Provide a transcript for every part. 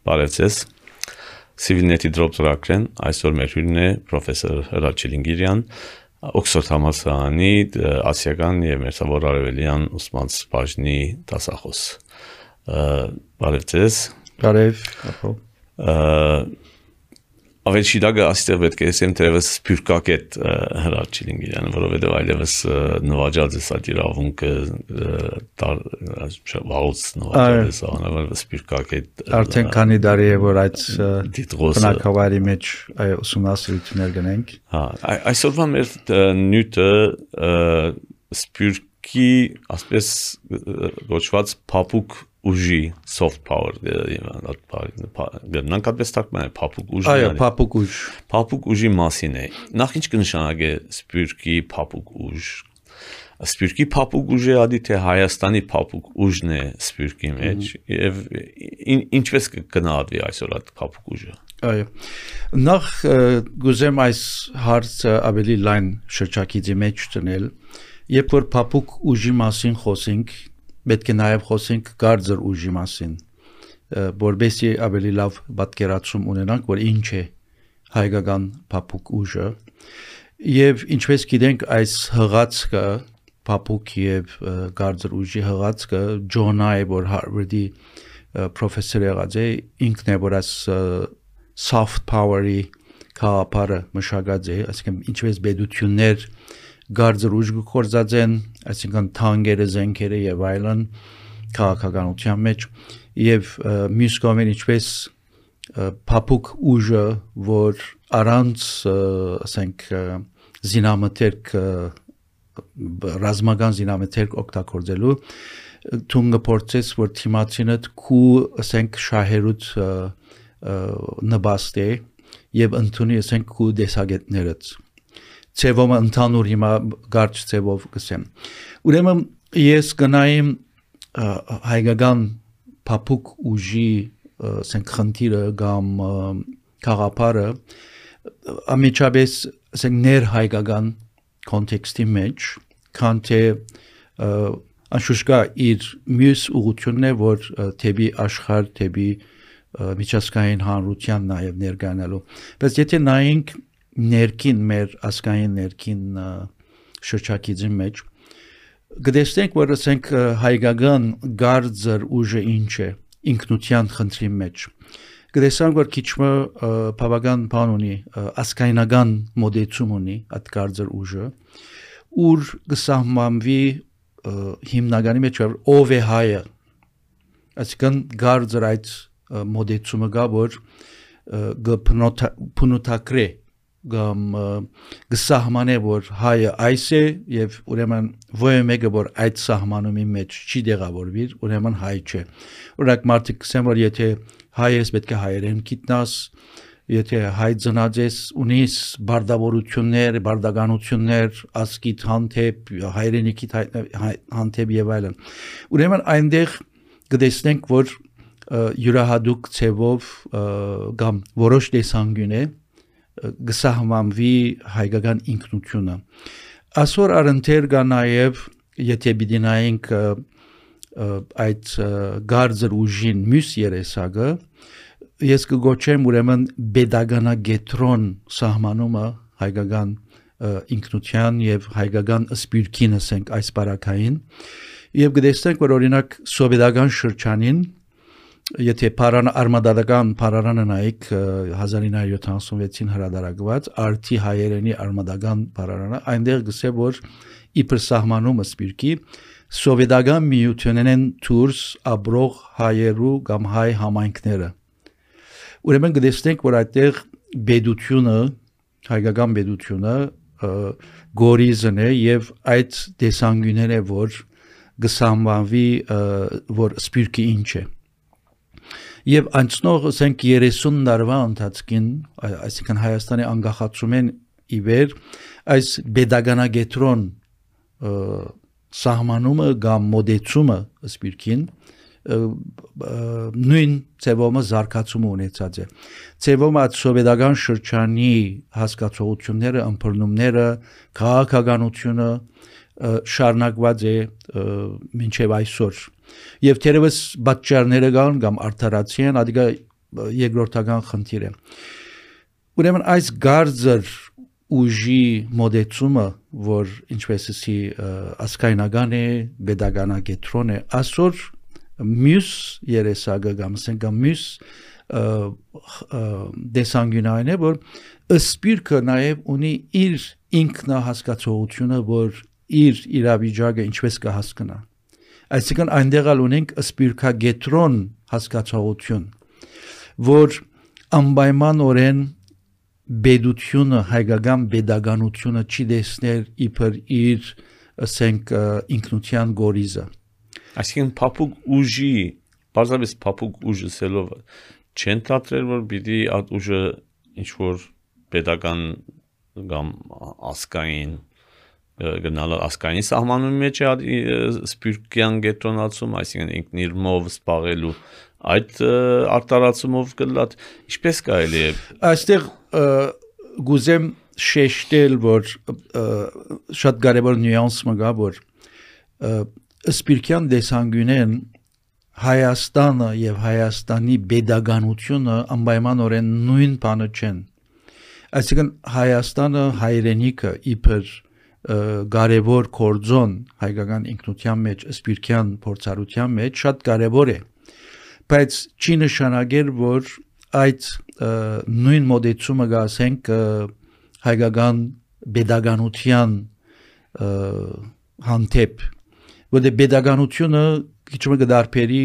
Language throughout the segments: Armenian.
Բարև ձեզ, Civilnet-ի Drop ծրագրեն, այսօր մեր հյուրն է պրոֆեսոր Հրաչ Չիլինգիրյան, Օքսֆորդ համալսարանի ասիական և մերձավոր արևելյան ուսումնաց բաժնի դասախոս։ Բարև ձեզ։ Բարև, Ավելի շիրակը աստեղ պետք է ասեմ թերևս սփյուռքագետ Հրաչ Չիլինգիրյանը, որովհետև այլևս նվաճած է սա իրավունքը վաղուց նվաճած է սա սփյուռքագետ արդեն քանի տարի է որ այդ բնակավայրի մեջ ուսումնասիրություններ գնենք։ Այսօրվա մեր նյութը սփյուռքի ասպես գոչված փափուկ ուժի soft power գնանքապես թարգմանել փափուկ ուժ։ Այո, փափուկ ուժ։ Փափուկ ուժի մասին է։ Նախ ինչ կնշանակի սփյուռքի փափուկ ուժ։ Սփյուռքի փափուկ ուժը ադի թե Հայաստանի փափուկ ուժն է սփյուռքի մեջ եւ ինչպես կգնահատվի այսօր այդ փափուկ ուժը։ Այո։ Նախ գուզեմ այս հարցը ավելի լայն շրջակիցի մեջ դնել, երբ որ փափուկ ուժի մասին խոսենք, պետք է նաև խոսենք կարծր ուժի մասին, որովհետեւ ավելի լավ պատկերացում ունենանք, որ ինչ է հայկական փափուկ ուժը, եւ ինչպես գիտենք, այս հղացքը փափուկ եւ կարծր ուժի հղացքը Ջոնը, որ Հարվարդի պրոֆեսոր եղած է, ինքն է որ այս soft power-ի քաղապարը մշակած է, այսինքն ինչպես բեդություններ Գարձր ուժ գործածեն, այսինքն թանկերը, զենքերը եւ այլն քաղաքականության մեջ եւ մյուս կողմից ինչպես փափուկ ուժը, որ առանց ասենք զինամթերք ռազմական զինամթերք օգտագործելու թունգը փորձես որ թիմացինդ քու ասենք շահերուտ նպաստ է եւ ընդունի ասենք քու դեսագետներդ Ցևոմը ընդհանուր հիմա գարչ ցևով կսեմ։ Ուրեմն ես գնայեմ հայկական փափուկ ուժի ասենք խնդիրը կամ խաղապարը ամիջապես ասենք ներ հայկական կոնտեքստի մեջ, քան թե անշուշտ իր մյուս ուղղությունն է, որ թեպի աշխարհ, թեպի միջազգային հանրության նաև ներկայանալու։ Բայց եթե նայենք ներքին մեր ասկային ներքին շրջակիցի մեջ գտեսնենք որ ասենք հայկական գարձր ուժը ինչ է ինքնության խնդրի մեջ գտեսանք որ քիչմը բավական բան ունի ասկայնական մոդեցում ունի այդ գարձր ուժը ուր գսահմանվի հիմնականի մեջ ով է հայը այսինքն գարձր այդ մոդեցումը գա որ գփնոթակրե կամ գսահմանե որ հայը այս է եւ ուրեմն ո՞ը մեկը որ այդ սահմանումի մեջ չի դեղավորվի ուրեմն հայ չէ օրինակ մարդիկ կսեն որ եթե հայ ես պետք է հայերեն գիտնաս եթե հայ ծնած ես ունիս բարդավորություններ բարդականություններ ասկիտ հանդեպ հայրենիքի հանդեպ եւ այլն ուրեմն այնտեղ կտեսնենք որ յուրահատուկ ցևով կամ որոշ տեսանկյուն է գսահմանվի հայկական ինքնությունը այսօր առընթեր կա նաև եթե պիտի նայենք այդ գարձր ուժին մյուս երեսակը ես կգոչեմ ուրեմն pedagoganagետրոն սահմանումը հայկական ինքնության եւ հայկական սպիրկին ասենք այս բարակային եւ կտեսնենք որ օրինակ սովետական շրջանին Եթե արմադական պարարանը նայեք 1976-ին հրադարակված արդի հայերենի արմադական պարարանը այնտեղ գսե որ իբր սահմանումը սպիրկի սովետական միությունեն դուրս ապրող հայերու կամ հայ համայնքները ուրեմն գտեսնենք որ այդտեղ բեդությունը հայկական բեդությունը գորիզն է եւ այդ դեսանգյունները որ գսահմանվի որ սպիրկի ինչ է Եվ անցնող ասենք 30 տարվա ընթացքին, այսինքն Հայաստանի անկախացումեն ի վեր այս pedagoganagետրոն սահմանումը կամ մոդեցումը սպիրկին նույն ցևոմը զարգացում ունեցած է։ Ցևոմը սովետական շրջանի հասկացողությունները, ըմբռնումները, քաղաքականությունը շարունակված է մինչև այսօր։ Եվ թերևս պատճառները կան կամ արդարացիան, ադիգա երկրորդական խնդիր է։ Ուրեմն այս գարձր ուժի մոդեցումը, որ ինչպես ասի ասկայնական է, pedagogiական է, այսօր մյուս երեսակը կամ ասենք մյուս դեսանգյունային է, որ սպիրկը նաև ունի իր ինքնահասկացողությունը, որ իր իրավիճակը ինչպես կհասկանա։ Այսինքն այնտեղ ունենք սպիրկագետրոն հասկացողություն, որ անպայմանորեն բեդությունը, հայկական pedagogiությունը չի դեսներ իբր իր ասենք ինքնության գորիզը։ Այսինքն փափուկ ուժի, բարձրապես փափուկ ուժը սելով չեն դատրել, որ պիտի այդ ուժը ինչ որ pedagogan կամ ասկային գնալ ասկային սահմանումի մեջ է սպիրկյան գետրոնացում, այսինքն ինքն իր մով սպաղելու այդ արտարացումով գլատ ինչպես կարելի է այստեղ գուզեմ շեշտել, որ շատ կարևոր նյուանս մգա, որ սպիրկյան դեսանգյունեն Հայաստանը եւ Հայաստանի pedagogiությունը անպայմանորեն նույն բանը չեն։ Այսինքն Հայաստանը հայրենիքը իբր կարևոր կորձոն հայկական ինքնության մեջ, սպիրկյան փորձառության մեջ շատ կարևոր է, բայց չի նշանակել, որ այդ նույն մոդեցումը գասենք հայկական pedagogiության հանդեպ, որտեղ pedagogiությունը քիչ մը դարբերի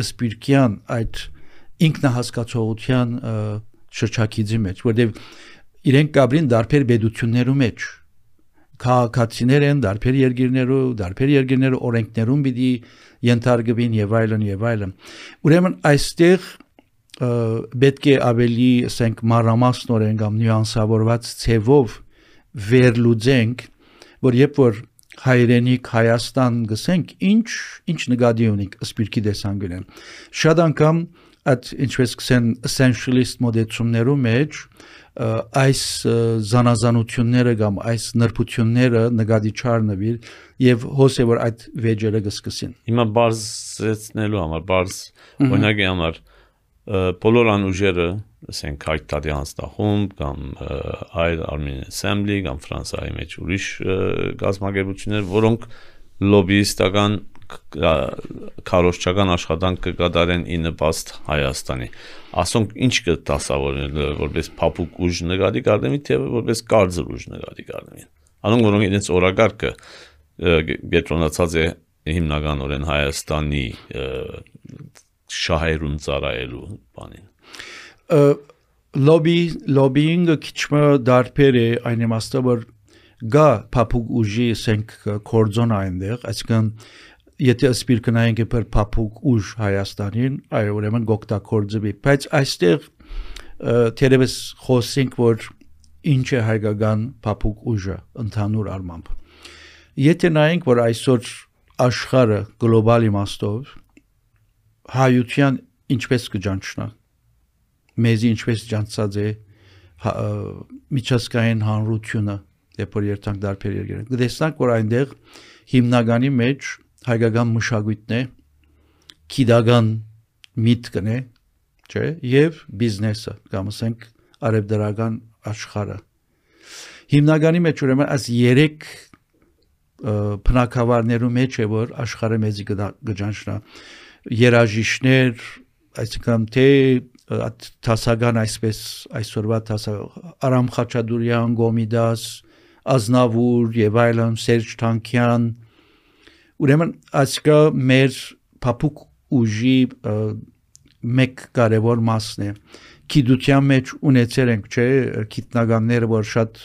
սպիրկյան այդ ինքնահասկացողության շրջակիցի մեջ, որտեղ իրենք կաբրին դարբեր պետություններու մեջ քաղաքացիներ են դարբեր երկիրներու օրենքներում պիտի ենթարկվին եւ այլն ուրեմն այստեղ պետք է ավելի ասենք մանրամասնորեն կամ նյուանսավորված ցևով վերլուծենք, որ երբ որ հայրենիք Հայաստան գսենք ինչ նկատի ունենք սպիրկի դեսանգյունեն շատ անգամ այդ ինչպես կսեն essentialist մոդեցումներու մեջ այս զանազանությունները կամ այս նրբությունները նկատի չառնվիր եւ հոսե որ այդ վեճերը կսկսին հիմա բարձեցնելու համար բարձ օրինակի համար բոլոր անուժերը ասենք հայտարարի անստախումբ կամ այլ Armenian Assembly կամ Ֆրանսիայի մեջ ուրիշ գազམ་ագերություններ, որոնք լոբիստական քարոզչական աշխատանք կկատարեն ի նպաստ Հայաստանի։ Ասոնք ինչ կտասավորեն որպես փափուկ ուժ նկատի կառնվի, թե որպես կարծր ուժ նկատի կառնվի։ Անոնք որոնք իրենց օրակարգը գետրոնացած է հիմնականորեն Հայաստանի շահերուն ծառայելու բանին։ Լոբինգը քիչ դարբեր է այն իմաստով որ գա փափուկ ուժի ասենք կորձոն այնտեղ, այսինքն եթե սպիրկնայինք իբր փափուկ ուժ Հայաստանին, այո ուրեմն գոկտակորձվի, բայց այստեղ թերևս խոսենք որ ինչ է հայկական փափուկ ուժը ընդհանուր առմամբ։ Եթե նայենք որ այսօր աշխարհը գլոբալ իմաստով հայության ինչպես կճանչնա մեզի ինչպես ճանցած է միջազգային հանրությունը երբ որ երթանք դարբեր երկրներ կտեսնանք որ այնտեղ հիմնականի մեջ հայկական մշակույթն է գիտական միտքն է չէ եւ բիզնեսը կամ ասենք արևդրական աշխարհը հիմնականի մեջ ուրեմն այս երեք բնակավարներու մեջ է որ աշխարհը մեզի կճանչնա երաժիշտներ այսինքն թե տասական այսպես այսօրվա Արամ Խաչատուրյան, Գոմիդաս, Ազնավուր եւ այլն Սերժ Թանկյան ուրեմն այսքա մեր փափուկ ուժի մեկ կարևոր մասն է գիտության մեջ ունեցել ենք չէ գիտնականները որ շատ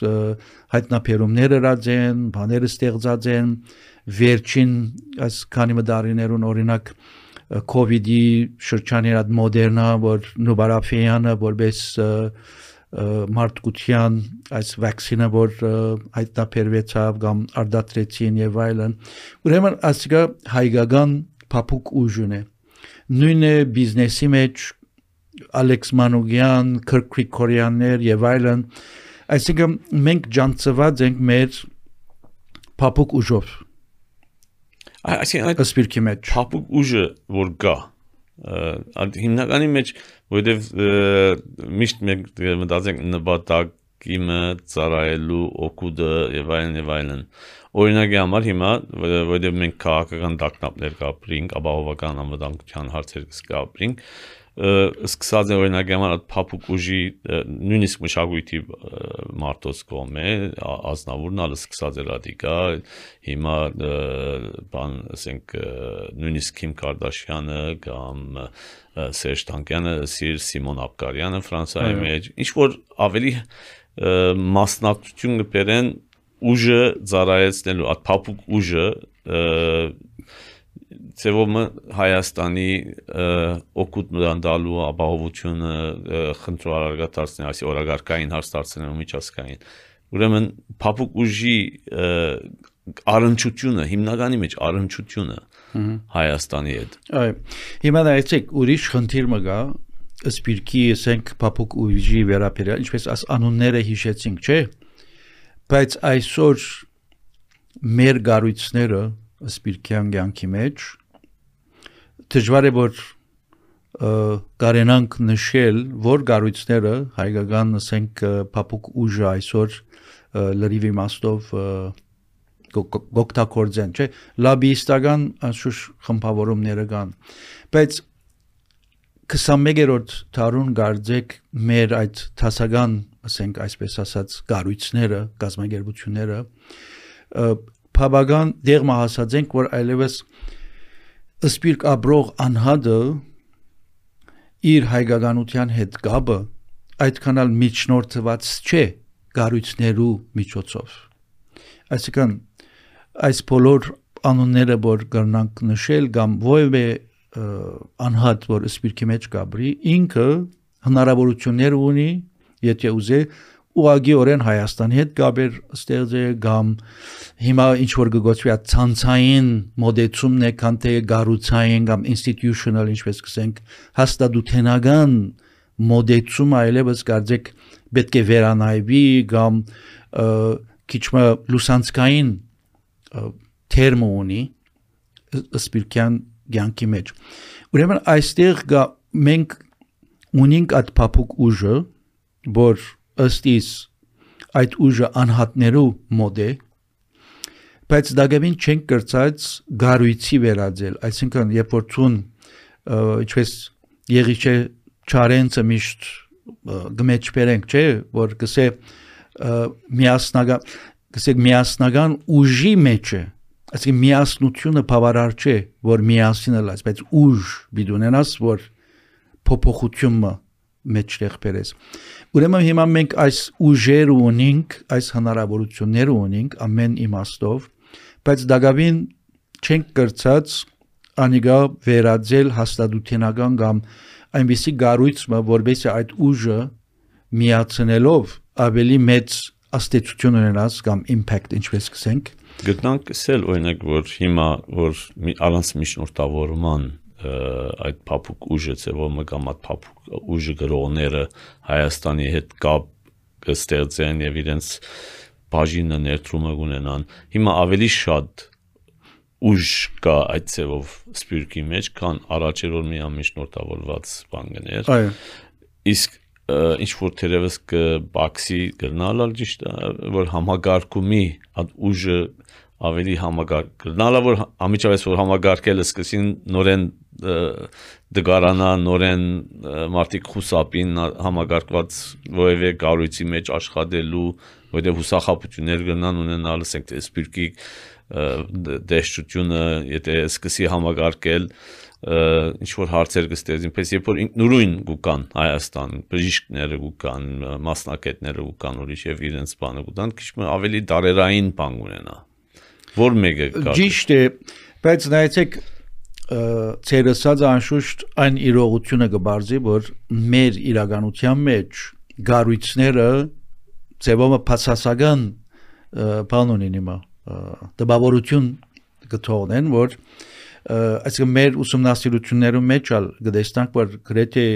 հայտնաբերումներ արած են բաներ ստեղծած են վերջին այս քանի մդարիներուն օրինակ COVID-ի շրջանի այդ մոդերնա որ նոբարաֆեյանը որպես մարդկության այս վակցինը որ հայտնաբերվեցավ կամ արդատրեցին եւ այլն ուրեմն ասիկա հայկական փափուկ ուժն է նույն է բիզնեսի մեջ Ալեքս Մանուկյան, Քրկ Գրիգորյաններ եւ այլն այսինքն մենք ջանցված ենք մեր փափուկ ուժով այսինքն սպիրկի մեջ փափուկ ուժը որ գա հիմնականի մեջ որովհետև միշտ մենք մտածենք նպատակը ծառայելու օգուտը եւ այլն օրինակի համար հիմա որովհետև մենք քաղաքական տագնապներ կապրինք ապահովական անվտանգության հարցեր կապրինք սկսած է օրինակի համար փափուկ ուժի նույնիսկ մշակույթի մարտոց կողմէ ազնավուրն ալը սկսած է ռադիկա հիմա բան ասենք նույնիսկ Քիմ Կարդաշյանը կամ Սերժ Թանկյանը Սիմոն Աբկարյանը Ֆրանսիայի մեջ ինչ որ ավելի մասնակցություն կբերեն ուժը ծառայեցնելու այդ փափուկ ուժը Ծևոմը Հայաստանի օգուտ մտանդալու ապահովությունը խնդրարարգա դարձնել, այսի օրագարկային հարց դարձնելու միջազգային։ Ուրեմն փափուկ ուժի առնչությունը, հիմնականի մեջ առնչությունը Հայաստանի հետ։ Այո։ Հիմա նայեցեք ուրիշ խնդիր մը գա, սպիրկի ասենք փափուկ ուժի վերաբերյալ, ինչպես աս անունները հիշեցինք, չէ՞։ Բայց այսօր մեր գառույցները սպիրկյան կյանքի մեջ դժվար է որ կարենանք նշել որ գառույցները հայկական ասենք փափուկ ուժը այսօր լրիվ իմաստով գոկտակորձեն չէ լաբիստական անշուշտ խմբավորումները կան բայց 21-րդ դարուն գարձեք մեր այդ տասական ասենք այսպես ասած գառույցները գազագերբությունները Բավական դեղ մահասած ենք, որ այլևս սպիրկ ապրող անհատը իր հայկականության հետ գաբը այդքան էլ միջնորդված չէ գառույցներու միջոցով։ Այսինքն այս բոլոր անունները որ կրնանք նշել կամ որևէ անհատ որ սպիրկի մեջ գաբրի ինքը հնարավորություններ ունի եթե ուզե ուղղակիորեն Հայաստանի հետ գաբեր ստեղծել կամ հիմա ինչ որ գոչվի ցանցային մոդեցումն է քան թե գառուցային կամ institutional ինչպես կսենք հաստատութենական մոդեցումը այլևս կարծեք պետք է վերանայվի կամ քիչ մը լուսանցքային թերմ ունի սպիրկյան կյանքի մեջ ուրեմն այստեղ մենք ունենք այդ փափուկ ուժը որ ըստիս այդ ուժը անհատներու մոդ է բայց դակավին չենք կրծած գառույցի վերածել այսինքն երբ որ ցուն ինչպես եղիչե չարենցը միշտ գմեջբերենք չէ որ կսե միասնական ուժի մեջ է այսինքն միասնությունը բավարար չէ որ միասին լաց բայց ուժ բիդունենաս որ փոփոխությունը մեջտեղ բերես ուրեմն հիմա մենք այս ուժեր ունենք այս հնարավորություններ ունենք ամեն իմաստով բայց դակավին չենք կրծած անիգա վերածել հաստատութենական կամ այնպիսի գառույցը որովհետեւ այդ ուժը միացնելով ավելի մեծ աստեցություն ունենաս կամ impact ինչպես կսենք գտնանք սել օրինակ որ հիմա որ առանց միջնորդավորման այդ փափուկ ուժը ծևոմը կամ այդ փափուկ ուժը գրողները Հայաստանի հետ կապ կստեղծեն եւ իրենց բաժինը ներդրումը ունենան հիմա ավելի շատ ուժ կա այդ ծևով սպիրկի մեջ քան առաջ էր որ միայն միջնորդավորված բան գներ իսկ ինչ որ թերևս կբաքսի գնալալ ճիշտ որ համագարկումի այդ ուժը ավելի համագարկնալա որ ամիջավես որ համագարկելը սկսին նորեն դգարանա նորեն մարտիկ խուսապին համագարկված որևէ գառույցի մեջ աշխատելու որտեղ հուսախապություններ կնան ունենալ ասենք թե սպիրկի դեշտությունը եթե սկսի համագարկել ինչ որ հարցեր կստեղծին պես երբ որ նույն գուկան Հայաստան բժիշկները գուկան մասնակիցները գուկան ուրիշ եւ իրենց բանը գուտան քիչ ավելի դարերային բան ունենա որ մեկը կա ճիշտ է բայց նայեցեք ցերեսած անշուշտ այն իրողությունը կբարձի որ մեր իրականության մեջ գառույցները ծեվոմը փածասական բան ունեն հիմա դպավորություն կթողնեն որ այսինքն մեր ուսումնասիրություններում մեջ ալ կտեսնանք որ գրեթե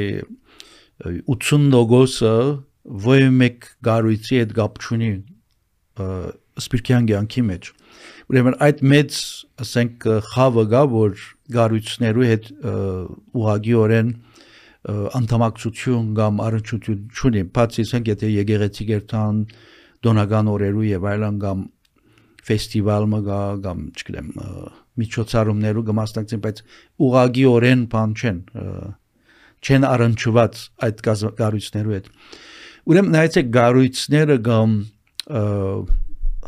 80%-ը ոչ մեկ գառույցի հետ կապ չունի սպիրկյան կյանքի մեջ ուրեմն այդ մեծ ասենք խավը գա որ գառույցներու հետ ուղղակիորեն անդամակցություն կամ առնչություն չունի բացի ասենք եթե եկեղեցի գերտան դոնական օրերու եւ այլն կամ ֆեստիվալ մգա կամ չգիտեմ միջոցառումներու կմասնակցեն բայց ուղղակիորեն բան չեն առնչված այդ գառույցներու հետ ուրեմն նայեցեք գառույցները կամ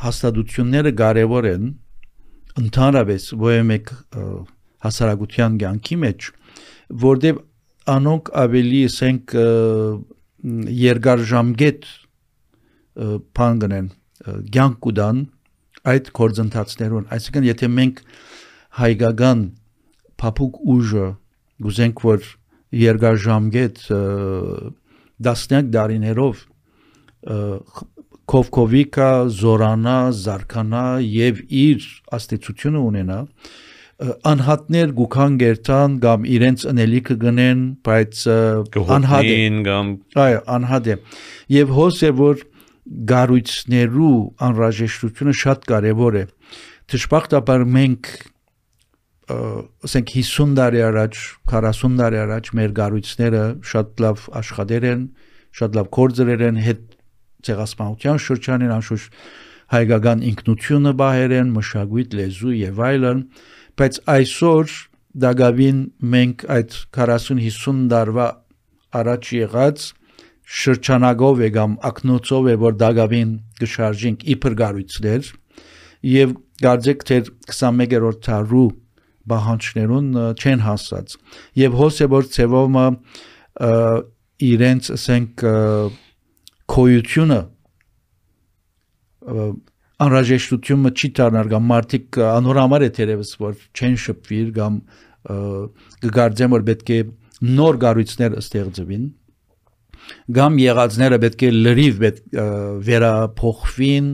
հաստատությունները կարևոր են ընդհանրապես ոյեմեկ հասարակության կյանքի մեջ որտեղ անոնք ավելի ասենք երկարժամկետ բան գնեն կյանք կուտան այդ գործընթացներուն այսինքն եթե մենք հայկական փափուկ ուժը գուզենք որ երկարժամկետ դասնյակ դարիներով կովկովիկա զորանա զարկանա եւ իր աստեցությունը ունենա անհատներ գուքան գերտան կամ իրենց անելիքը գնեն բայց անհատ այո անհատ է եւ հոս է որ գառույցներու անհրաժեշտությունը շատ կարեւոր է դժբախտաբար մենք ասենք 50 տարի առաջ 40 տարի առաջ մեր գառույցները շատ լավ աշխատեր են շատ լավ կորձեր են հետ ցեղասպանության շրջանին անշուշտ հայկական ինքնությունը բահեր են մշակույթ լեզու եւ այլն բայց այսօր դակավին մենք այդ 40-50 տարվա առաջ եղած շրջանագով է կամ ակնոցով է որ դակավին գշարժենք իբր գառույցներ եւ գարձեք թե 21-րդ դարու բանջարներուն չեն հասած եւ հոս է որ ծևոմը իրենց ասենք քոյությունը անհրաժեշտությունը չի դառնալ կամ մարդիկ անորամար է թերևս որ չեն շփվիր կամ գարձեմ որ պետք է նոր գառույցներ ստեղծվին կամ եղածները պետք է լրիվ վերափոխվին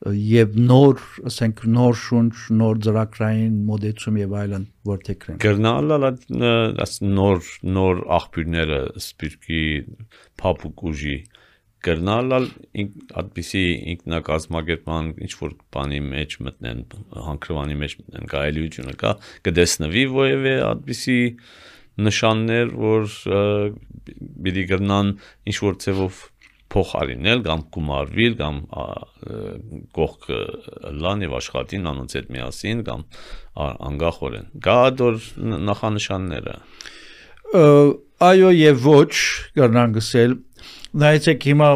եւ նոր ասենք նոր շունչ նոր ծրագրային մոդեցում եւ այլն որտեղքրեն գերնալալ նոր աղբյուրները սպիրկի փափուկ ուժի գերնալալ այդպիսի ինքնակազմակերպման ինչ որ բանի մեջ մտնեն հանքրվանի մեջ մտնեն գայելությունը կա կդեսնվի որևէ այդպիսի նշաններ որ բիդի գերնան ինչ որ ծևով փոխարինել կամ գումարվել կամ կողք լան եւ աշխատին անոնց հետ միասին կամ անգախորեն գա դոր նախանշանները այո եւ ոչ կրնան գսել նայեցեք հիմա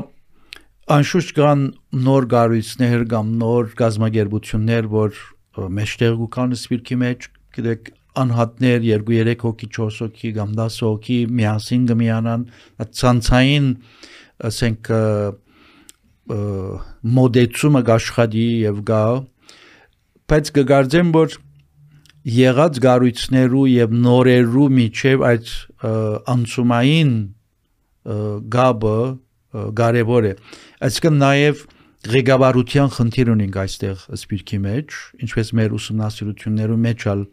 անշուշտ կան նոր գառույցներ կամ նոր գազագերբություններ որ մեջտեղ կան սպիրկի մեջ գիտեք անհատներ 2-3 հոգի 4 հոգի կամ 10 հոգի միասին կմիանան ցանցային ասենք մոդեցումը գաշխատի եւ գա բայց կգարձեմ որ եղած գառույցներու եւ նորերու միջև այդ անցումային գաբը կարևոր է այսինքն նաեւ ղեկավարության խնդիր ունենք այստեղ սպիրկի մեջ ինչպես մեր ուսումնասիրություններու մեջ ալ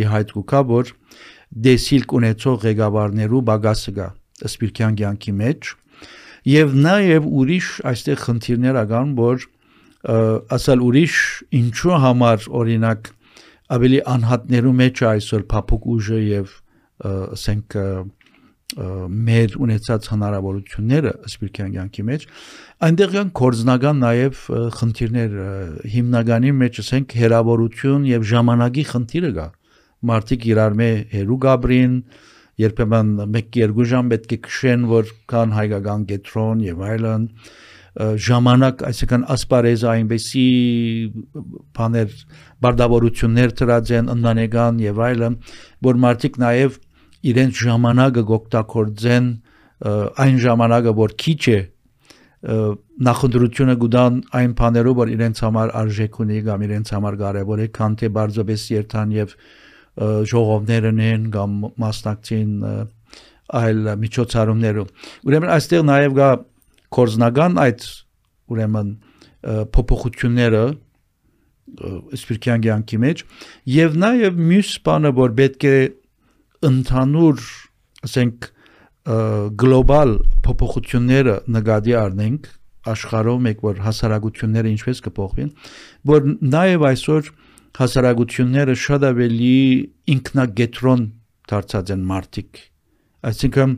իհայտ կա որ դեսիլք ունեցող ղեկավարներու բագասը գա սպիրկյան կյանքի մեջ եւ նաեւ ուրիշ այստեղ խնդիրներ ական որ ասալ ուրիշ ինչու համար օրինակ ավելի անհատներու մեջ այսօր փափուկ ուժը եւ ասենք մեր ունեցած հնարավորությունները սպիրկյան կյանքի մեջ այնտեղ կան կորձնական նաեւ խնդիրներ հիմնականի մեջ ասենք հերավորություն եւ ժամանակի խնդիրը կա մարդիկ իրար մե հերու գաբրին երբեմն 1-2 ժամ պետք է քշեն որ կան հայկական կետրոն եւ այլն ժամանակ այսինքն ասպարեզ այնպեսի բաներ բարդավորություններ դրած են ընտանեկան եւ այլն որ մարդիկ նաեւ իրենց ժամանակը գոկտակորձեն այն ժամանակը որ քիչ է նախընտրությունը գուտան այն բաներով որ իրենց համար արժեք ունի կամ իրենց համար կարեւոր է քան թե բարձրապես երթան եւ ժողովներն են կամ մասնակցին այլ միջոցառումներով ուրեմն այստեղ նաև գա կորզնական այդ ուրեմն փոփոխությունները սպիրկյան կյանքի մեջ եւ նաև մյուս բանը որ պետք է ընդհանուր ասենք գլոբալ փոփոխությունները նկատի առնենք աշխարհով մեկ որ հասարակությունները ինչպես կփոխվին, որ նաև այսօր հասարակությունները շատ ավելի ինքնագետրոն դարձած են մարդիկ, այսինքն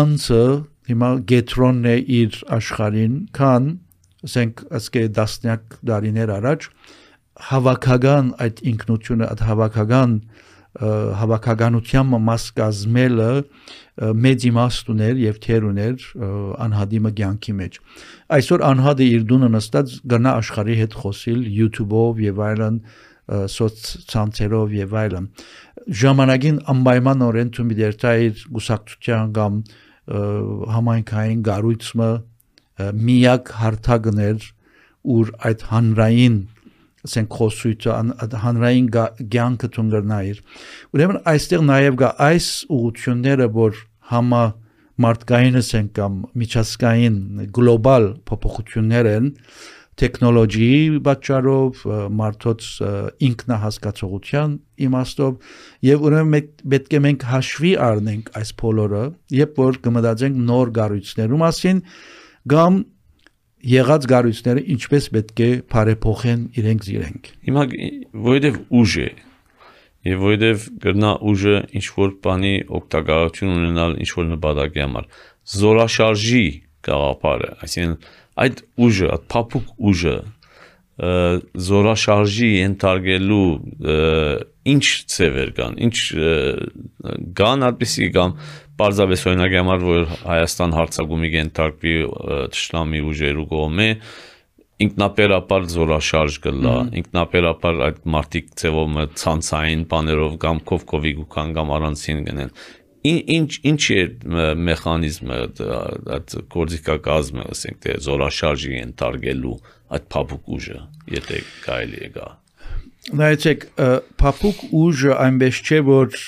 անձը հիմա գետրոնն է իր աշխարհին, քան ասենք ասկե դասնյակ դարիներ առաջ հավաքական այդ ինքնությունը, այդ հավաքականության մաս կազմելը մեծ իմաստ ուներ եւ թեր ուներ անհադիմը կյանքի մեջ։ Այսօր անհադը իր դունը նստած գնա աշխարհի հետ խոսիլ YouTube-ով եւ այլն, սոցցանցերով եւ այլն։ Ժամանակին անպայմանորեն ցույց դերտա իր գուսակցության կամ համայնքային գառույցը միակ հարթակներ ուր այդ հանրային ասենք խոսույթը հանրային կյանքը ցունգրնայր ուրեմն այստեղ նաև կա այս ուղղությունները որ համա մարդկայինս են կամ միջազգային գլոբալ փոփոխություններ են տեխնոլոգիի պատճառով մարդոց ինքնահասկացողության իմաստով եւ ուրեմն պետք է մենք հաշվի առնենք այս բոլորը երբ որ կմտածենք նոր գառույցներու մասին կամ եղած գառույցները ինչպես պետք է բարեփոխեն իրենք զիրենք։ Հիմա որովհետև ուժ է եւ որովհետև գրնա ուժը ինչ որ բանի օգտակարություն ունենալ ինչ որ նպատակի համար զորաշարժի գաղափարը, այսինքն այդ ուժը, այդ փափուկ ուժը զորաշարժի ենթարկելու ինչ ծևեր կան, ինչ կան այդպիսի կամ պարզապես օրինակի համար որ Հայաստան հարձակումի ենթարկվի թշնամի ուժերու կողմէ ինքնաբերաբար զորաշարժ կլա, ինքնաբերաբար այդ մարտիկ ծևով ցանցային բաներով կամ կովկովի գուքան կամ առանցին գնեն։ Ինչ է մեխանիզմը այդ գործիքակազմը, ասենք թե զորաշարժի ենթարկելու այդ փափուկ ուժը, եթե կարելի է գա։ Նայեցեք, փափուկ ուժը այնպես չէ որ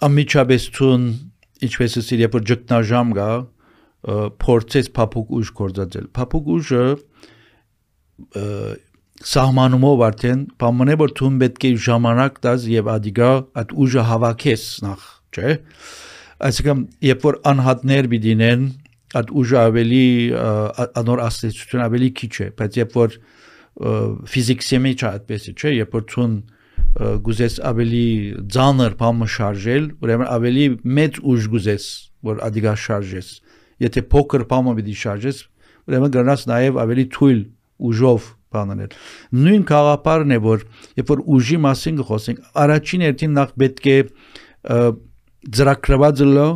ամիջապես ցուն ինչպես ասիր երբ որ ճգնաժամ գա փորձես փափուկ ուժ կործածել։ Փափուկ ուժը սահմանումով արդեն բամոնե որ ցուն պետք է ժամանակ տաս եւ ադիգա այդ ուժը հավաքես նախ, չէ՞։ Այսինքն երբ որ անհատներ բիդինեն այդ ուժը ավելի անոր աստեցություն ավելի քիչ է, բայց երբ որ ֆիզիկսի մեջ այդպես է, չէ՞, երբ որ ցուն գուզես ավելի ծանր բամը շարժել, ուրեմն ավելի մեծ ուժ գուզես, որ ադիգա շարժես։ Եթե փոքր բամը պիտի շարժես, ուրեմն գնաս նաև ավելի թույլ ուժով բանել։ Նույն գաղափարն է, որ երբ որ ուժի մասին խոսենք, առաջին հերթին նախ պետք է ծրագրված լո,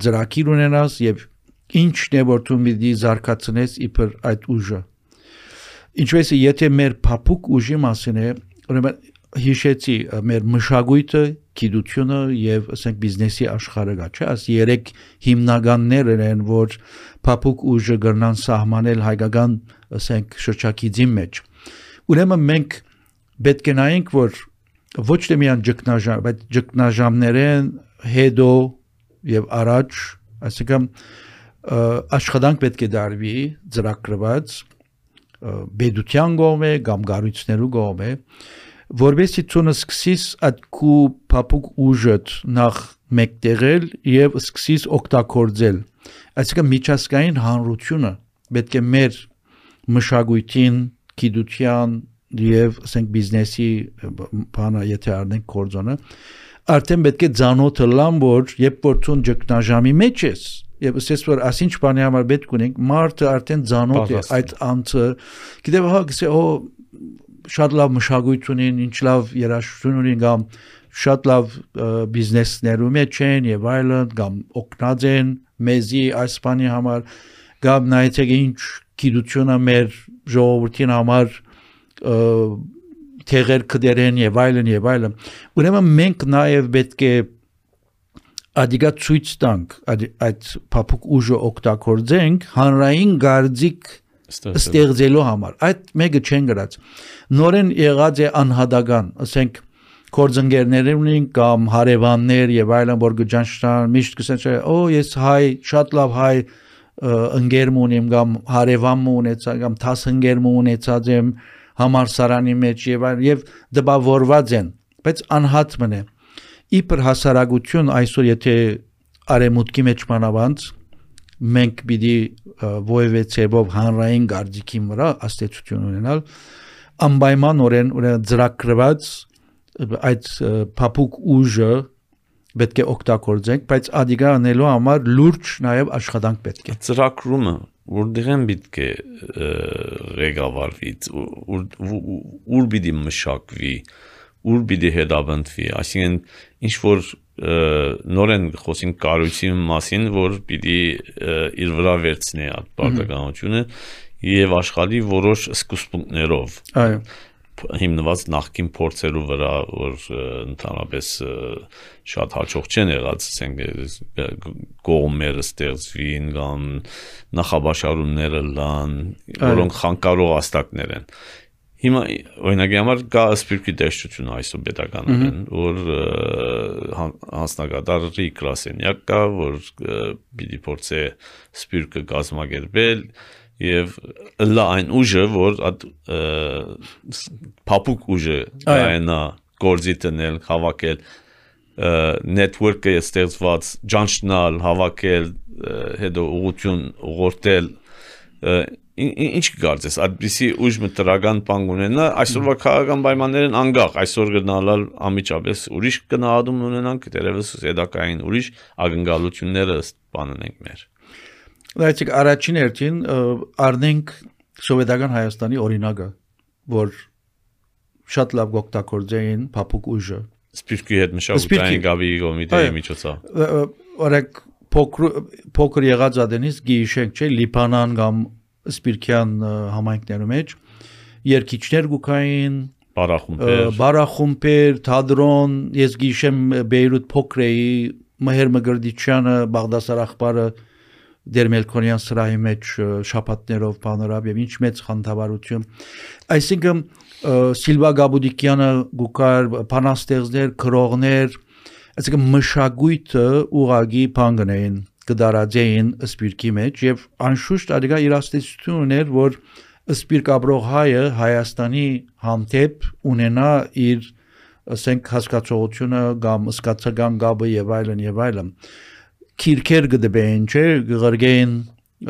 ծրագիր ունենաս եւ ինչն է որ դու պիտի զարգացնես իբր այդ ուժը։ Ինչպես եթե մեր փափուկ ուժի մասին է, ուրեմն հիշեցի մեր մշակույթը, գիտությունը եւ ասենք բիզնեսի աշխարհը գա, չէ՞, աս երեք հիմնականներն են, որ փափուկ ուժը կրնան սահմանել հայկական, ասենք, շրջակիցի մեջ։ Ուրեմն մենք պետք է նայենք, որ ոչ թե միայն ճգնաժամ, բայց ճգնաժամներեն հետո եւ առաջ, այսինքն աշխատանք պետք է դարվի ծրագրված բեդության կողմէ կամ գառույցներու կողմէ որովհետեւ ցոնը սկսիս այդ քու փափուկ ուժդ նախ մեկտեղել եւ սկսիս օգտագործել այսինքն միջազգային հանրությունը պետք է մեր մշակույթին գիտության եւ ասենք բիզնեսի բանը եթե առնենք կորձոնը արդեն պետք է ծանոթը լամ որ երբ որ ցուն ճգնաժամի մեջ ես եւ ասես որ ասինչ բանի համար պետք ունենք մարդը արդեն ծանոթ է այդ անձը գիտեմ հա գսե շատ լավ մշակույթ ունին, ինչ լավ երաժշտություն ունին կամ շատ լավ բիզնեսներու մեջ են եւ այլն կամ օգնած են մեզի այս բանի համար կամ նայեցեք ինչ գիտությունը մեր ժողովրդին համար թեղեր կդերեն եւ այլն եւ այլն ուրեմն մենք նաեւ պետք է ադիգա ցույց տանք այդ փափուկ ուժը օգտագործենք հանրային գարձիկ ստեղծելու համար այդ մեկը չեն գրած նորեն եղած է անհատական ասենք կորձընկերներ ունին կամ հարևաններ եւ այլն որ գճանշտան միշտ կսեն օ ես հայ շատ լավ հայ ընկերմ ունեմ կամ հարևան ունեցա կամ 10 ընկերմ ունեցած եմ համալսարանի մեջ եւ այլն եւ դպավորված են բայց անհատ մնե իբր հասարակություն այսօր եթե արեմուտքի մեջ մանավանդ մենք պիտի ովևէ ցեվով հանրային գարձիկի վրա աստեցություն ունենալ անպայմանորեն ծրագրված այդ փափուկ ուժը պետք է օգտագործենք, բայց ադիգա անելու համար լուրջ նաև աշխատանք պետք է։ Ծրագրումը որտեղ պետք է ղեկավարվի, ուր պիտի մշակվի, ուր պիտի հետապնդվի, այսինքն ինչ որ նորեն խոսենք կառույցի մասին, որ պիտի իր վրա վերցնի այդ պարտականությունը եւ աշխատի որոշ սկզբունքներով։ Այո։ Հիմնված նախկին փորձերու վրա, որ ընդհանրապես շատ հաջող չեն եղած, ասենք կողմերը ստեղծվին կամ նախաբաշարումները լան, որոնք խանգարող աստակներ են։ Հիմա օրինակի համար կա սպիրկի տեսչություն այսօր պետականորեն, որ հանձնագետարի գրասենյակ կա, որ պիտի փորձե սպիրկը կազմակերպել եւ լա այն ուժը, որ փափուկ ուժը կայանա գործի տնել, հավաքել network-ը ստեղծված, ճանչնալ, հավաքել, հետո ուղղություն ուղղորդել, ինչ կարծես, այդպիսի ուժ մտրական բան ունենա, այսօրվա քաղաքական պայմաններն անգախ, այսօր գնալալ ամիջապես ուրիշ գնահատում ունենանք, դերևս հետակային ուրիշ ակնկալությունները բանենք մեր։ Լայցիկ առաջին հերթին առնենք սովետական Հայաստանի օրինակը, որ շատ լավ օգտագործեին փափուկ ուժը։ Սպիրկի հետ մշակութային գաբի կոմիտեի միջոցով։ Օրենք փոքր եղած ադենից գիշենք, չէ, Լիբանան կամ Սպիրկյան համայնքներում մեջ երկիչներ գուկային, բարախումբեր, թատրոն, ես գիշեմ Բեյրութ փոքրեի Մհեր Մգրդիչյանը, Բաղդասար Ախբարը Դեր Մելքոնյան սրահի մեջ շաբաթներով բանորավ եւ ինչ մեծ խանդավառություն։ Այսինքն Սիլվա Գաբուդիկյանը գուկար փանաստեղծներ, քրողներ, այսինքն մշակույթը ուղագի բանգնեին կդարաձեին սպիրկի մեջ եւ անշուշտ ադիգա իրաստություն ուներ, որ սպիրկ ապրող հայը Հայաստանի հանդեպ ունենա իր ասենք հասկացողությունը կամ սկացական գաբը եւ այլն քիրքեր գդբեն, չէ, գղրգեն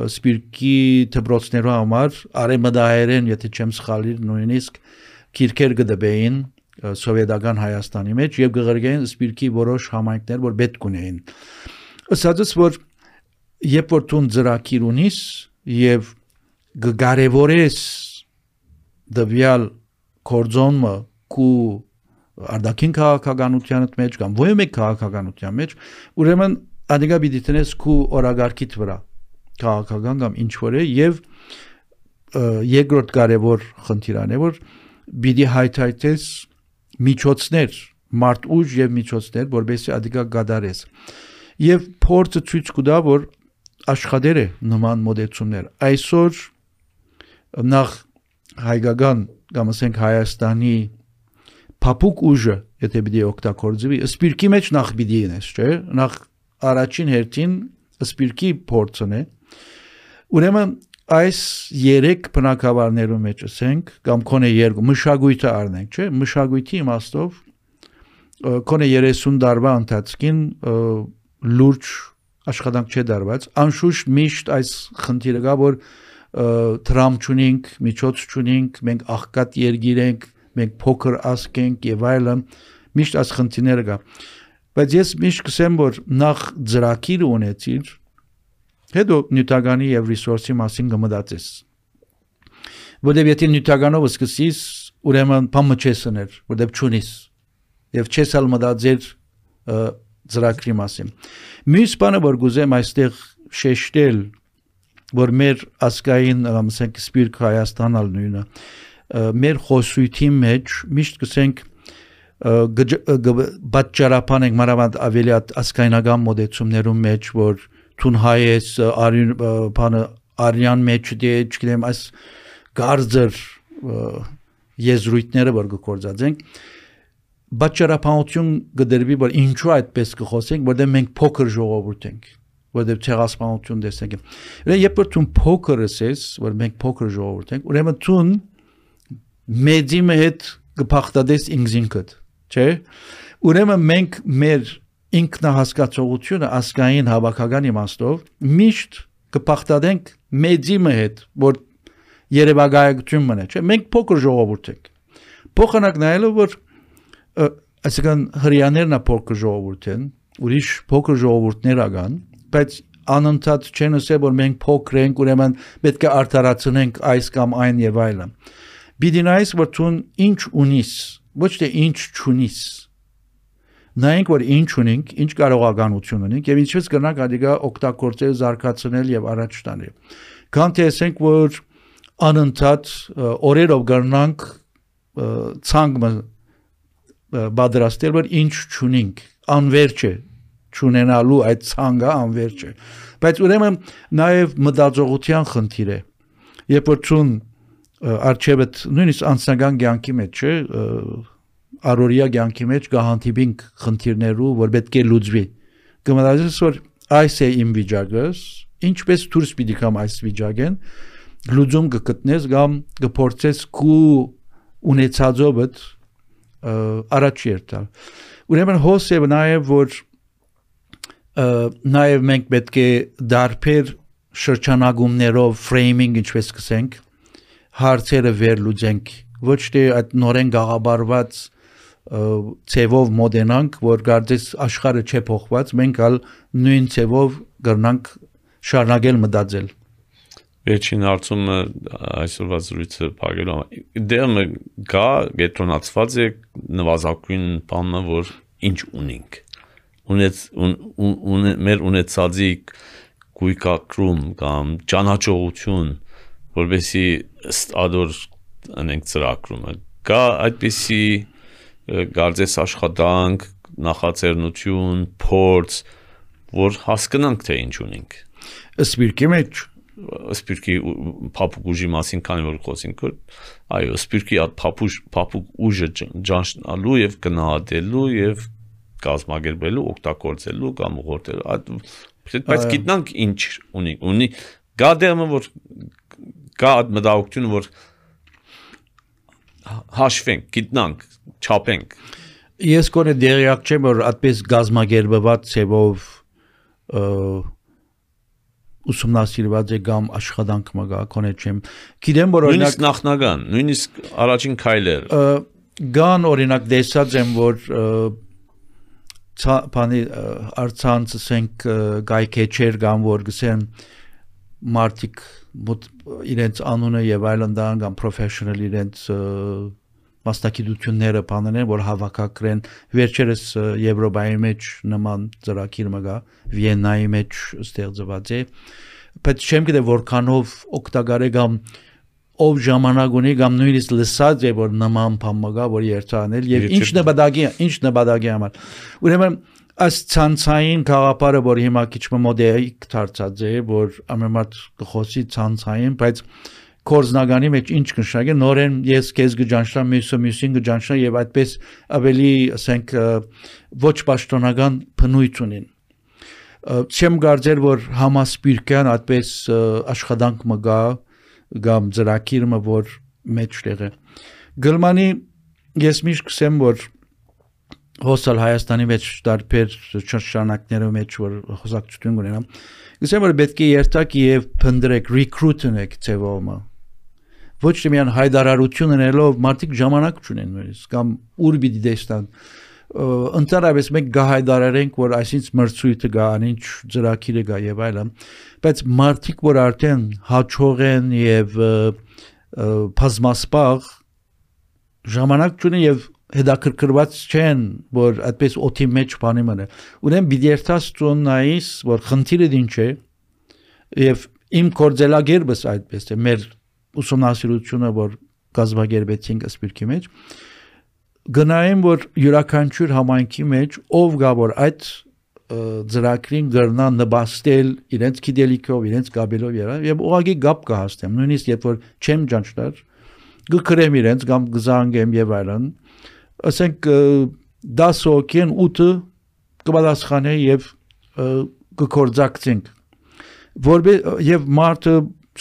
սպիրկի դպրոցներու համար արեմդահերեն, եթե չեմ սխալի, նույնիսկ քիրքեր գդբեն սովետական Հայաստանի մեջ եւ գղրգեն սպիրկի որոշ համայնքներ, որ պետք ունեին։ Ասածս որ երբ որ տուն ծրագիր ունիս եւ գարևորես դվյալ կորձոնը կու արդակին քաղաքականության մեջ կամ ովմե քաղաքականության մեջ ուրեմն ադիգա պիտի տնես քու օրագարկիդ վրա քաղաքական կամ ինչ որ է եւ երկրորդ կարևոր խնդիրն է որ պիտի հայթայթես միջոցներ մարդ ուժ եւ միջոցներ որովհետեւ ադիգա գադարես եւ փորձը ցույց կտա որ աշխատեր է նման մոդեցումներ այսօր նախ հայկական կամ ասենք Հայաստանի փափուկ ուժը եթե պիտի օգտագործվի սպիրկի մեջ նախ պիտի ինես չէ նախ առաջին հերթին սպիրկի փորձն է ուրեմն այս երեք բնակավարներու մեջ ասենք կամ կոնե երկու մշակույթը առնենք չէ մշակույթի իմաստով կոնե 30 տարվա ընթացքին լուրջ աշխատանք չէ դարված անշուշտ միշտ այս խնդիրը կա որ տրամ չունենք միջոց չունենք մենք աղքատ երգիր ենք մենք փոքր ազգ ենք եւ այլն միշտ այս խնդիրները կա բայց ես միշտ կսեմ որ նախ ծրագիր ունեցիր հետո նյութականի եւ ռեսուրսի մասին կմտածես որտեւ եթե նյութականով սկսես ուրեմն բամը չեսներ որտեւ չունիս եւ չես ալ մտածել ծրագրի մասին մյուս բանը որ գուզեմ այստեղ շեշտել որ մեր ասկային ասենք սպիրկ Հայաստանալ նույնը մեր խոսույթի մեջ միշտ կսենք բաճարապան ենք մանավանդ ավելի ասկայնական մոդեցումներում մեջ որ թուն հայ ես արյան մեջ դե չգիտեմ այս գարձր եզրույթները որ գործածենք բաճարապանություն գդրվի որ ինչու այդպես կխոսենք որտեղ մենք փոքր ժողովուրդ ենք որտեղ ցեղասպանություն տեսնենք երբ որ թուն փոքր ես որ մենք փոքր ժողովուրդ ենք ուրեմն թուն մեծի հետ կփախտades ինքզինքդ չէ ուրեմն մենք մեր ինքնահասկացողությունը ասկային հավաքական իմաստով միշտ կփախտանենք մեծիմը հետ, որ երևակայություն մնա, չէ՞։ Մենք փոքր ժողովուրդ ենք։ Փոխանակ նայելով որ այսինքն հрьяաներն փոքր ժողովուրդ են, ուրիշ փոքր ժողովուրդներ ական, բայց անընդհատ չեն ասել որ մենք փոքր ենք, ուրեմն պետք է արդարացնենք այս կամ այն եւ այլն։ Բիդինայս որ ցուն ինչ ունիս, ոչ թե ինչ չունիս։ Նայենք որ ինչ ունենք, ինչ կարողականություն ունենք եւ ինչպես կրնանք ադիգա օգտագործել, զարգացնել եւ առաջ տանել։ Քան թե ասենք որ անընդհատ օրերով կրնանք ցանգը բادرաստել որ ինչ չունենք, անverջ է չունենալու այդ ցանգը անverջ է։ Բայց ուրեմն նաեւ մտածողության խնդիր է։ Երբ որ ցուն արչեւդ նույնիսկ անձնական կյանքի մեջ չէ, առօրյա կյանքի մեջ կհանդիպենք խնդիրներու, որ պետք է լուծվի։ Կմտածես որ այս է իմ վիճակս, ինչպես դուրս պիտի կամ այս վիճակեն, լուծում կգտնես կամ կփորձես քու ունեցածովդ առաջ երթալ։ Ուրեմն հոսև նաև որ նաև մենք պետք է դարբեր շրջանագումներով ֆրեյմինգ ինչպես կսենք հարցերը վերլուծենք, ոչ թե այդ նորեն գաղաբարված ցևով մոդենանք, որ կարծես աշխարհը չէ փոխված, մենք ալ նույն ցևով կրնանք շարունակել մտածել։ Վերջին հարցումը այսօրվա զրույցը փակելու դեմը գա գետրոնացված է նվազագույն բանը որ ինչ ունենք մեր ունեցածի գույքակրում կամ ճանաչողություն որովհետեւ ադոր անենք ծրագրումը կա այդպիսի գարձես աշխատանք նախաձեռնություն փորձ որ հասկանանք թե ինչ ունենք սպիրկի մեջ սպիրկի փափուկ ուժի մասին քանի որ խոսենք այո սպիրկի փափուկ ուժը ճանչնալու եւ գնահատելու եւ կազմակերպելու օգտագործելու կամ ուղղորդելու բայց գիտնանք ինչ ունի գա դեմը որ կա մտահոգություն որ հաշվենք գիտնանք չափենք ես կոնե դերյակ չեմ որ այդպես գազմագերբված ցևով ուսումնասիրված է կամ աշխատանք մգա կոնե չեմ գիտեմ որ նույնիսկ նախնական նույնիսկ առաջին քայլեր գան օրինակ դեսած եմ որ բանի արցանց ասենք գայքեչեր կամ որ գսեն մարտիկ իրենց անունը եւ այլն դան կամ professional իրենց մասնակցությունները բանեն որ հավաքակրեն վերջերս Եվրոպայի մեջ նման ծրագիր մգա Վիեննայի մեջ ստեղծված է բայց չեմ գիտե որքանով օգտակար է կամ ով ժամանակ ունի կամ նույնիսկ լսած է որ նման բան մգա որ երթանել եւ ինչ նպատակի համար ուրեմն այս ցանցային գաղափարը որ հիմա քիչ մոդելիկ դարձած է որ ամենամարդ կխոսի ցանցային բայց կորզնագանի մեջ ինչ կնշանակի նորեն ես քեզ գճանշամ մյուսին գճանշամ եւ այդպես ավելի ասենք ոչ պաշտոնական բնույթ ունին չեմ կարծեր որ համասպիրկյան այդպես աշխատանք մգա կամ ծրագիրը որ մեջտեղ է գլմանի ես միշտ կսեմ որ հոսալ Հայաստանի մեջ տարբեր շրջանակներով մեջ որ խոսակցություն ունենամ գսեմ որ պետք է երթակ եւ փնդրեք recruit-եք ծևոմը ոչ թե միան հայդարարություն ունելով մարդիկ ժամանակ չունեն նույնիսկ կամ ուր պիտի դեստան ընդհանրապես մենք գահայդարարենք որ այսինչ մրցույթը գա անինչ ծրագիրը գա եւ այլն բայց մարդիկ որ արդեն հաջող են եւ բազմասպաղ ժամանակ չունեն եւ հետաքրքրված չեն որ այդպես օթի մեջ բանի մնա ուրեմն բիդերտաս ծոնայիս որ խնդիրը ինչ է եւ իմ կորձելագերբս այդպես է մեր ուսումնասիրությունը որ կազմակերպեցինք սպիրկի մեջ գնայեմ որ յուրաքանչյուր համայնքի մեջ ով գա որ այդ ծրագրին գրնա նպաստել իրենց գիտելիքով իրենց գաբելով եւ ուղղակի գապ կհաստեմ նույնիսկ երբ որ չեմ ճանչնար գկրեմ իրենց կամ գզանգեմ եւ այլն ասենք 10 հոգին 8-ը կպատասխանի եւ կկործակցենք եւ մարդը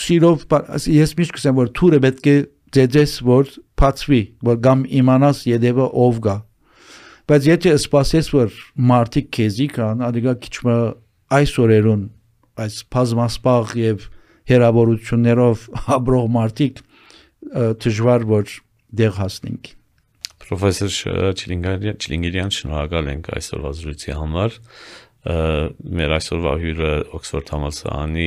սիրով ես միշտ կսեմ որ թուրը պետք է ձեզ որ փածվի որ կամ իմանաս յետևը ով գա բայց եթե սպասես որ մարդիկ քեզի կան ադիգա քիչմը այս օրերուն այս բազմասպաղ եւ հերավորություններով ապրող մարդիկ դժվար որ դեղ հասնենք։ Պրոֆեսոր Չիլինգիրյան, շնորհակալ ենք այսօրվա զրույցի համար։ Մեր այսօրվա հյուրը Օքսֆորդ համալսարանի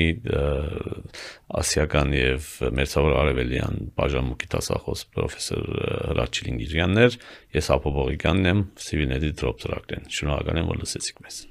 ասիական եւ մերձավոր արևելյան բաժանմունքի դասախոս պրոֆեսոր Հրաչ Չիլինգիրյանն էր։ Ես Հապո Բողոքյանն եմ, Civilnet Drop ծրագրեն։ Շնորհակալ եմ, որ լսեցիք մեզ։